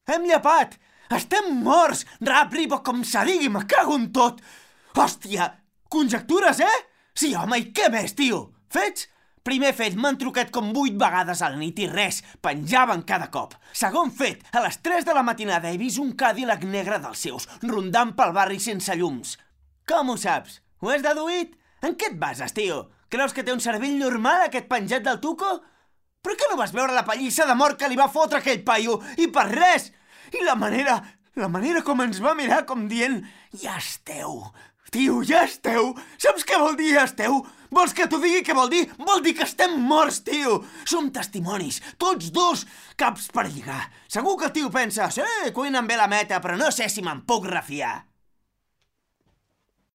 Hem llepat! Estem morts! Rap-ribo com se digui, me cago en tot! Hòstia! Conjectures, eh? Sí, home, i què més, tio? Fets? Primer fet, m'han trucat com 8 vegades a la nit i res, penjaven cada cop. Segon fet, a les 3 de la matinada he vist un Cadillac negre dels seus, rondant pel barri sense llums. Com ho saps? Ho has deduït? En què et bases, tio? Creus que té un cervell normal, aquest penjat del tuco? Per què no vas veure la pallissa de mort que li va fotre aquell paio? I per res! I la manera com ens va mirar com dient ja esteu, tio, ja esteu! Saps què vol dir ja esteu? Vols que t'ho digui què vol dir? Vol dir que estem morts, tio! Som testimonis, tots dos, caps per lligar. Segur que el tio pensa, sí, cuinen bé la meta, però no sé si me'n puc refiar.